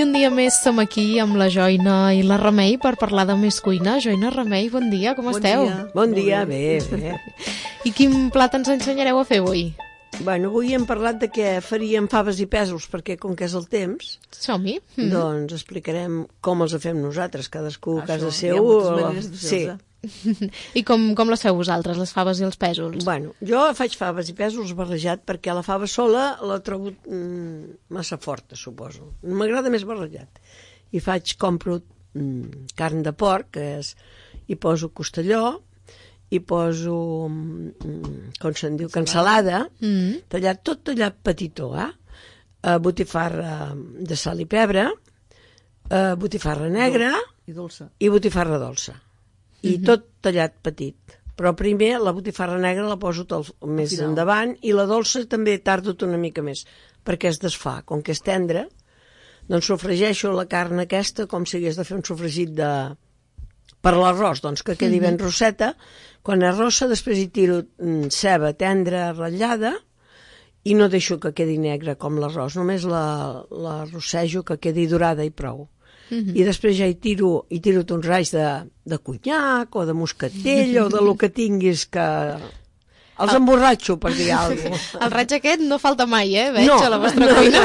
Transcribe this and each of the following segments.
I un dia més som aquí amb la Joina i la Remei per parlar de més cuina. Joina, Remei, bon dia, com esteu? Bon dia, bé. I quin plat ens ensenyareu a fer avui? Bueno, avui hem parlat de què faríem faves i pèsols, perquè com que és el temps, som-hi. Doncs explicarem com els fem nosaltres, cadascú a casa seu. Hi ha moltes maneres de fer-los, I com les feu vosaltres, les faves i els pèsols? Bueno, jo faig faves i pèsols barrejat perquè la fava sola la trobo massa forta, suposo. M'agrada més barrejat. I compro carn de porc, hi poso costelló, hi poso, com se'n diu, cansalada, tot tallat petitó, botifarra de sal i pebre, botifarra negra i botifarra dolça. I tot tallat petit. Però primer la botifarra negra la poso tot més endavant i la dolça també tardo una mica més, perquè es desfà. Com que és tendra, doncs sofregeixo la carn aquesta com si hagués de fer un sofregit per l'arròs, doncs que quedi ben rosseta. Quan és rossa, després hi tiro ceba tendra ratllada i no deixo que quedi negra com l'arròs, només la rossejo que quedi dorada i prou. I després ja hi tiro uns raigs de conyac o de moscatell o de lo que tinguis que... Els emborratxo, per dir alguna cosa. El raig aquest no falta mai, veig, a la vostra cuina.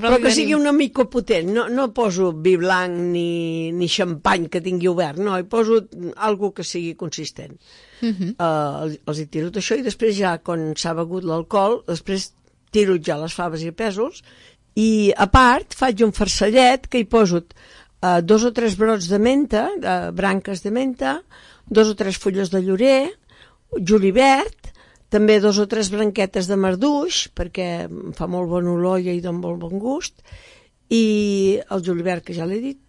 Però que sigui una mica potent. No poso vi blanc ni xampany que tingui obert, no, hi poso alguna que sigui consistent. Els hi tiro això i després ja, quan s'ha begut l'alcohol, després tiro ja les faves i pèsols. I a part faig un farcellet que hi poso 2 o 3 brots de menta, branques de menta, 2 o 3 fulles de llorer, julivert, també 2 o 3 branquetes de marduix, perquè fa molt bon olor i dona molt bon gust, i el julivert, que ja l'he dit,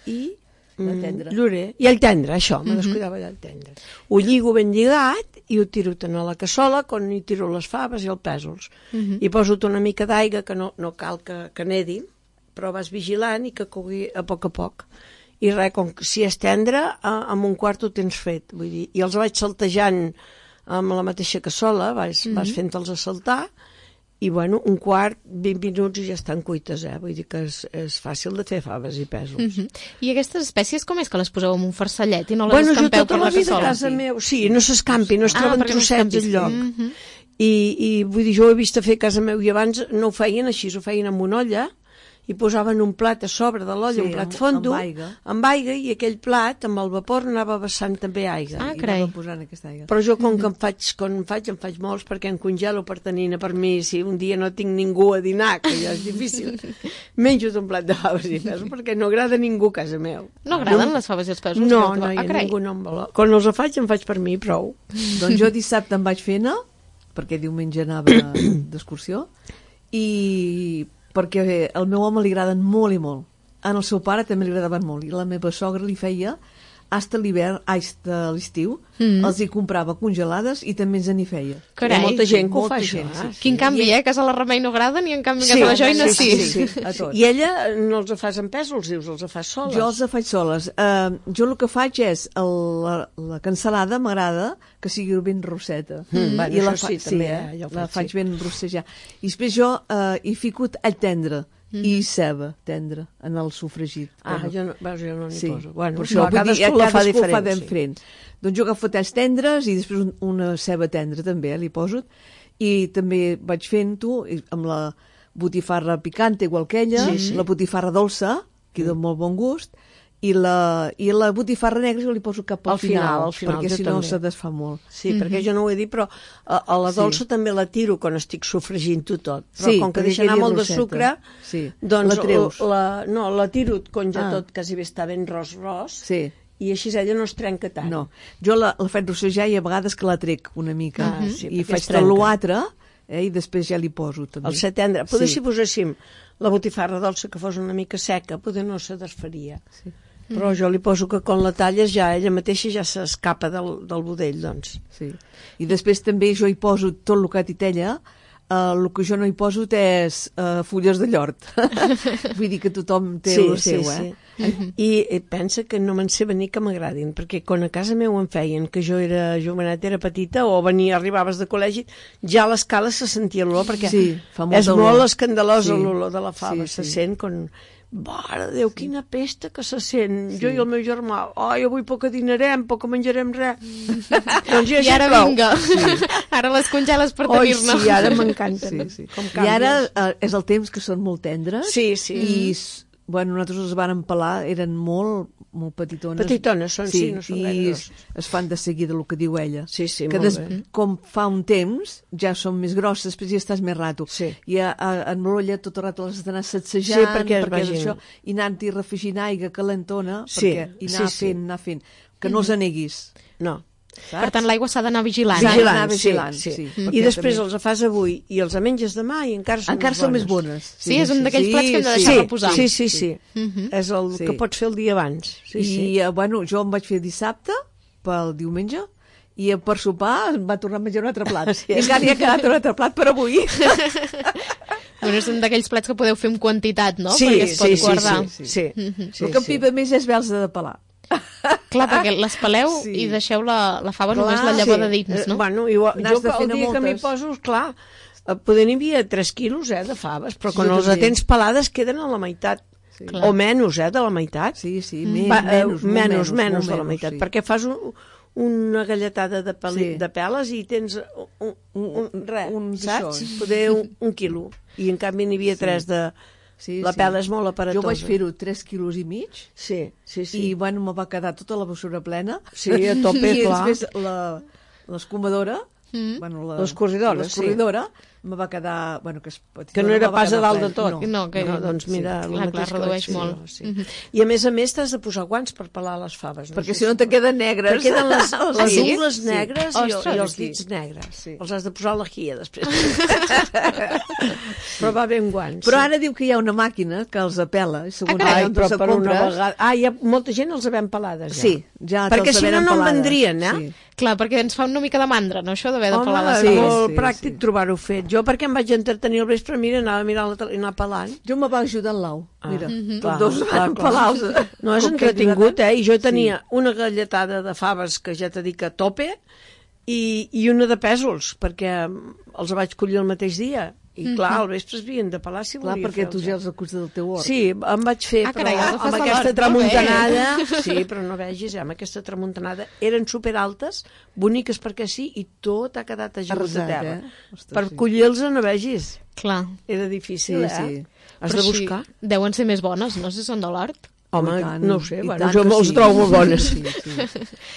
i llorer. I el tendre, això, me descuidava del tendre. Ho lligo ben lligat i ho tiro a la cassola, quan hi tiro les faves i els pèsols. I poso una mica d'aigua, que no cal que nedi, però vas vigilant i que cogui a poc. I res, com que si és tendre, en un quart ho tens fet. Vull dir, i els vaig saltejant amb la mateixa cassola, vas fent-los a saltar, i bueno, un quart, 20 minuts i ja estan cuites, vull dir que és fàcil de fer faves i pèsols. I aquestes espècies com és que les poseu en un farcellet i no les escampeu per la cassola? Jo tota la vida a casa meu, sí, no s'escampi, no es troben trossets enlloc. I vull dir, jo ho he vist a fer a casa meu i abans no ho feien així, ho feien amb una olla, i posaven un plat a sobre de l'olla, un plat fondo, amb aigua, i aquell plat, amb el vapor, anava vessant també aigua. Ah, carai. Però jo, com que em faig molts, perquè em congelo per tenir per mi, si un dia no tinc ningú a dinar, que ja és difícil, menjo un plat de faves i pèsols, perquè no agrada a ningú a casa meu. No agraden les faves i els pèsols? No, ningú no em vol. Quan els faig, em faig per mi, prou. Doncs jo dissabte em vaig fer perquè diumenge anava d'excursió, i perquè al meu home li agraden molt i molt. En el seu pare també li agradaven molt. I la meva sogra li feia, hasta l'hivern, de l'estiu, els hi comprava congelades i també ens n'hi feia. Carai. Hi ha molta gent que ho fa això. Quin canvi, a casa la Remei no agraden i en canvi a casa la Joina sí. I ella no els fas en pèsols, dius, els fas soles? Jo els faig soles. Jo el que faig és, la cansalada m'agrada que sigui ben rosseta. I la faig ben rossejada. I després jo hi fico all tendre i ceba tendra en el sofregit. Jo no n'hi poso. Bueno, per això cadascú la fa diferent. Doncs jo agafo talls tendres i després una ceba tendra també li poso, i també vaig fent-ho amb la botifarra picante igual que ella, la botifarra dolça, que dona molt bon gust, i la botifarra negra jo li poso cap al final, perquè si no se desfà molt. Sí, perquè jo no ho he dit, però a la dolça també la tiro quan estic sofregint-ho tot. Però com que deixa anar molt de sucre, doncs la tiro quan ja tot quasi bé està ben ros, i així ella no es trenca tant. No, jo la faig rossejar i a vegades que la trec una mica, i faig tot l'altre, i després ja li poso també. El setendre, poder si poséssim la botifarra dolça que fos una mica seca, poder no se desfaria. Però jo li poso que quan la talles ja ella mateixa ja s'escapa del budell, doncs. Sí. I després també jo hi poso tot el que titella, el que jo no hi poso és fulles de llort. Vull dir que tothom té el seu, Sí. I pensa que no me'n sé venir que m'agradin, perquè quan a casa meu em feien que jo era jovenet, era petita, o arribaves de col·legi, ja a l'escala se sentia l'olor, perquè és molt escandalosa l'olor de la fava, se sent com... Mare de Déu, quina pesta que se sent. Jo i el meu germà, avui poc dinarem, poc menjarem res. Doncs ja I ara vinga, ara les congeles per tenir-ne. Sí, ara m'encanten. I ara és el temps que són molt tendres. Sí. I nosaltres les vàrem pelar, eren molt petitones. Petitones són, sí, no són gaire. I es fan de seguida el que diu ella. Sí, molt bé. Com fa un temps, ja són més grosses, després ja estàs més rato. Sí. I en l'olla tot el rato les has d'anar sacsejant, perquè això, i anar-hi refregint aigua calentona, i anar fent. Que no els aneguis. No. Saps? Per tant, l'aigua s'ha d'anar vigilant. Sí. I després els fas avui i els menges demà i encara són més bones. Sí, és un d'aquells plats que hem de deixar reposar. Sí. És el que pots fer el dia abans. Jo em vaig fer dissabte pel diumenge i per sopar em va tornar a menjar un altre plat. I encara hi ha quedat un altre plat per avui. És un d'aquells plats que podeu fer en quantitat, no? Perquè es pot guardar. Sí. El que em pipa més és haver-los de pelar. Clar, perquè les peleu i deixeu la fava només la llavor de dins, no? Jo el dia que m'hi poso, clar, poder n'hi havia 3 quilos de faves, però quan les tens pelades queden a la meitat, o menys de la meitat. Sí, menys de la meitat, perquè fas una galletada de peles i tens saps? Poder un quilo, i en canvi n'hi havia 3 de... la pela és molt aparatosa. Jo vaig fer-ho 3,5 quilos. Sí. I, me va quedar tota la bessura plena. Sí, a tope, clar. I després l'escumadora, l'escorridora, me va quedar... que no era pas a dalt de tot. No, doncs mira, clar, redueix molt. I a més t'has de posar guants per pelar les faves. Perquè si no te queden negres. Te queden les ungles negres i els dits negres. Els has de posar a la guia després. Però va bé amb guants. Però ara diu que hi ha una màquina que els apela. Però per una vegada... hi ha molta gent els havem pelades, ja. Sí, ja perquè si no en vendrien, Clar, perquè ens fa una mica de mandra, no, això d'haver de pelar les faves. És molt pràctic trobar-ho fet. Jo perquè em vaig entretenir al vespre, anava a mirar i anar pelant. Jo me va ajudar en l'au. Mira, tots dos van pelar-los. No, és entretingut, i jo tenia una galletada de faves que ja t'he dit que a tope i una de pèsols, perquè els vaig collir el mateix dia. I clar, al vespre es havien de pelar si volia fer. Clar, perquè tu ja els acuts del teu hort. Sí, em vaig fer, però amb aquesta tramuntanada... Sí, però no vegis, amb aquesta tramuntanada eren superaltes, boniques perquè sí, i tot ha quedat ajunt de terra. Per collir-los no vegis. Clar. Era difícil, Has de buscar. Deuen ser més bones, no sé si són de l'hort. Home, no ho sé, jo els trobo molt bones.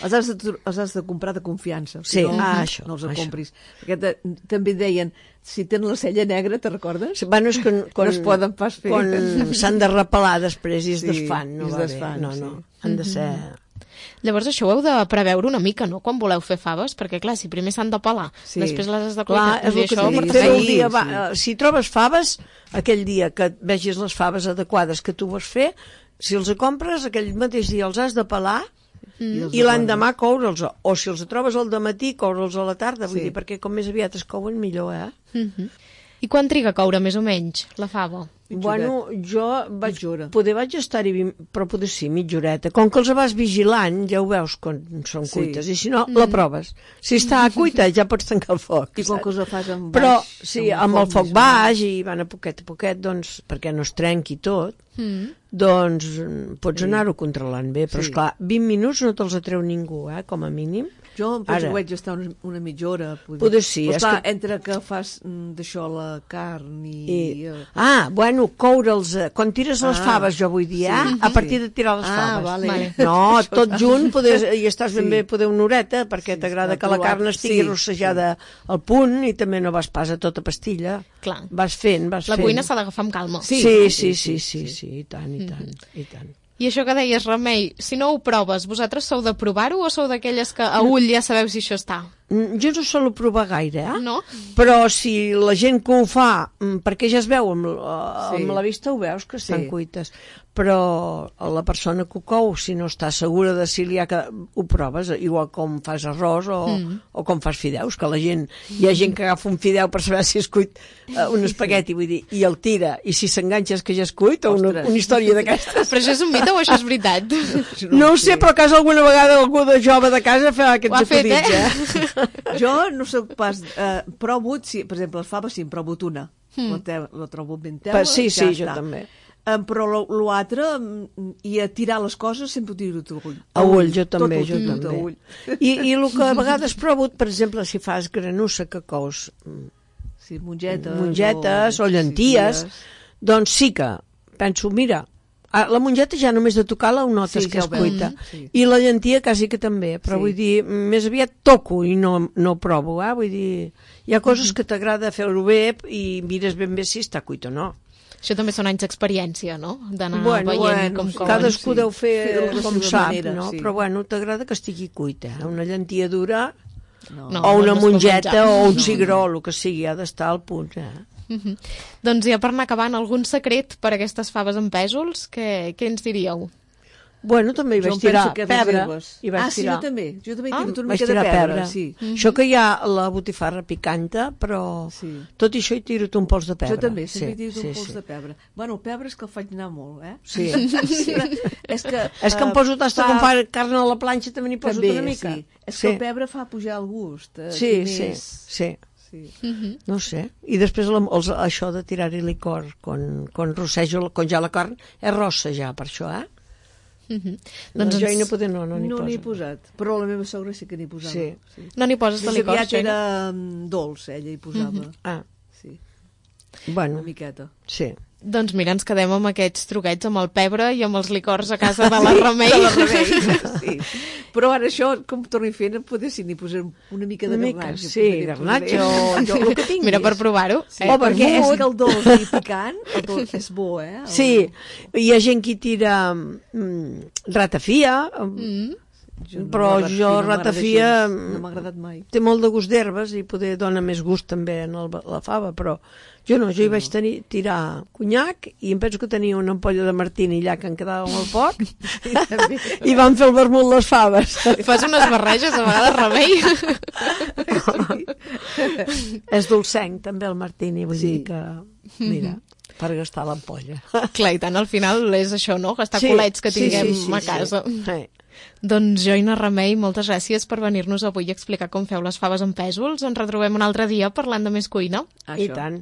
Els has de comprar de confiança. Sí, això. No els compris. Perquè també deien, si tenen la cella negra, te recordes? Bueno, és que no es poden pas fer. Quan s'han de repelar després i es desfan, no va bé. No, han de ser... Llavors això ho heu de preveure una mica, no?, quan voleu fer faves, perquè clar, si primer s'han de pelar, després les has de cuinar. Clar, és el que t'he dit. Si trobes faves, aquell dia que vegis les faves adequades que tu vols fer, si els compres, aquell mateix dia els has de pelar i l'endemà coure'ls. O si els trobes al dematí, coure'ls a la tarda. Vull dir, perquè com més aviat es couen, millor, I quan triga a coure, més o menys, la fava? Bueno, jo vaig estar-hi, però poder sí, mitja horeta. Com que els vas vigilant, ja ho veus quan són cuites, i si no, la proves. Si està cuita, ja pots tancar el foc. I com que els fas amb baix. Però, sí, amb el foc baix, i van a poquet, doncs, perquè no es trenqui tot, doncs pots anar-ho controlant bé. Però, esclar, 20 minuts no te'ls atreu ningú, com a mínim. Jo penso que vaig estar una mitja hora. Poder sí. Però esclar, entre que fas d'això la carn i... Bueno, coure'ls... Quan tires les faves, jo vull dir, a partir de tirar les faves. Vale. No, tot junt, i estàs ben bé poder una horeta, perquè t'agrada que la carn estigui rossejada al punt i també no vas pas a tota pastilla. Clar. Vas fent. La cuina s'ha d'agafar amb calma. Sí, i tant. I això que deies, Remei, si no ho proves, vosaltres sou de provar-ho o sou d'aquelles que a ull ja sabeu si això està? Jo no solo provar gaire, No? Però si la gent que ho fa, perquè ja es veu amb la vista, ho veus que estan cuites. Però la persona que ho cou, si no està segura de si li ha que ho proves, igual com fas arròs o com fas fideus, que hi ha gent que agafa un fideu per saber si és cuit un espagueti, vull dir, i el tira, i si s'enganxa és que ja és cuit, o una història d'aquestes. Però això és un mite o això és veritat? No ho sé, però a casa alguna vegada algú de jove de casa fa aquests acudits, Jo no soc pas... provo, per exemple, les faves sí, en provo una. La trobo ben teula, sí, ja jo està. també. Però l'altre, i a tirar les coses sempre ho tiro a ull. A ull, jo també. I el que a vegades provo, per exemple, si fas granussa que cous mongetes o llenties, doncs sí que penso, mira, la mongeta ja només de tocar-la ho notes que és cuita. I la llentia quasi que també, però vull dir, més aviat toco i no provo, vull dir, hi ha coses que t'agrada fer-ho bé i mires ben bé si està cuit o no. Això també són anys d'experiència, no? D'anar veient com couen. Cadascú deu fer com sap, no? Però bueno, t'agrada que estigui cuita. Una llentia dura o una mongeta o un cigró, el que sigui, ha d'estar al punt. Doncs ja per anar acabant, algun secret per a aquestes faves amb pèsols? Què ens diríeu? Bueno, també hi vaig tirar pebre. Sí, jo també. Jo també he tirat una mica de pebre. Això que hi ha la botifarra picanta, però tot i això hi tiro un pols de pebre. Jo també, sempre he tirat un pols de pebre. Bueno, el pebre és que el faig anar molt, Sí. És que em poso tasta com fa carn a la planxa, també n'hi poso una mica. És que el pebre fa pujar el gust. Sí. No sé. I després això de tirar-hi licor quan rossejo, quan ja la carn és rossa ja, per això, Doncs jo no n'hi he posat, però la meva sogra sí que n'hi posava. No n'hi poses de licor? Més aviat era dolç, ella hi posava. Una miqueta. Sí. Doncs mira, ens quedem amb aquests truquets, amb el pebre i amb els licors a casa de la Remei. Sí. Però ara això, com torni fent, potser n'hi posem una mica de garnatge. Sí, garnatge o el que tinguis. Mira, per provar-ho. Perquè és que el dolç i picant, el dolç és bo, Sí, hi ha gent que tira ratafia, però jo ratafia no m'ha agradat mai. Té molt de gust d'herbes i poder dona més gust també en la fava, però jo hi vaig tirar conyac i em penso que tenia una ampolla de martini allà que em quedava molt poc i van fer el vermut les faves. Fas unes barreges a vegades, Remei. És dolcenc també el martini, vull dir que mira, per gastar l'ampolla. Clar, i tant, al final és això, no? Gastar colets que tinguem a casa. Doncs Joina Remei, moltes gràcies per venir-nos avui a explicar com feu les faves amb pèsols. Ens retrobem un altre dia parlant de més cuina. I tant.